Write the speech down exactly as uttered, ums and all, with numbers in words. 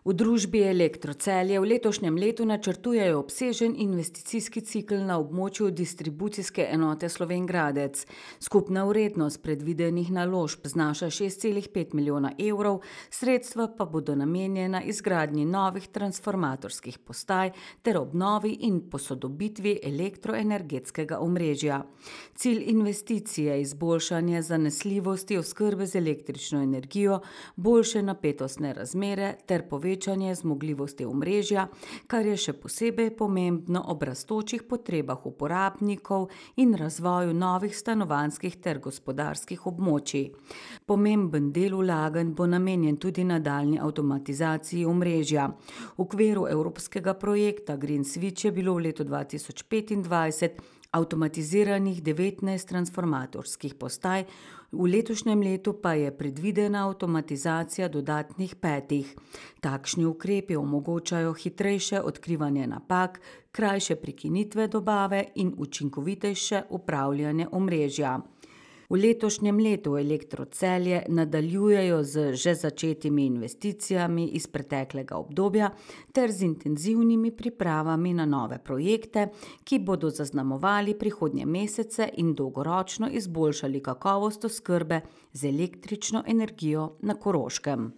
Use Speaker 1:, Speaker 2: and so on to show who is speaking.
Speaker 1: V družbi Elektro Celje v letošnjem letu načrtujejo obsežen investicijski cikel na območju distribucijske enote Slovenj Gradec. Skupna vrednost predvidenih naložb znaša šest celih pet milijona evrov, sredstva pa bodo namenjena izgradnji novih transformatorskih postaj ter obnovi in posodobitvi elektroenergetskega omrežja. Cilj investicije je izboljšanje zanesljivosti oskrbe z električno energijo, boljše napetostne razmere ter povečanje povečanje zmogljivosti omrežja, kar je še posebej pomembno ob rastočih potrebah uporabnikov in razvoju novih stanovanjskih ter gospodarskih območij. Pomemben del vlaganj bo namenjen tudi nadaljnji avtomatizaciji omrežja. V okviru evropskega projekta Green Switch je bilo v letu dva tisoč petindvajset avtomatiziranih devetnajst transformatorskih postaj, v letošnjem letu pa je predvidena avtomatizacija dodatnih petih. Takšni ukrepi omogočajo hitrejše odkrivanje napak, krajše prekinitve dobave in učinkovitejše upravljanje omrežja. V letošnjem letu Elektro Celje nadaljujejo z že začetimi investicijami iz preteklega obdobja ter z intenzivnimi pripravami na nove projekte, ki bodo zaznamovali prihodnje mesece in dolgoročno izboljšali kakovost oskrbe z električno energijo na Koroškem.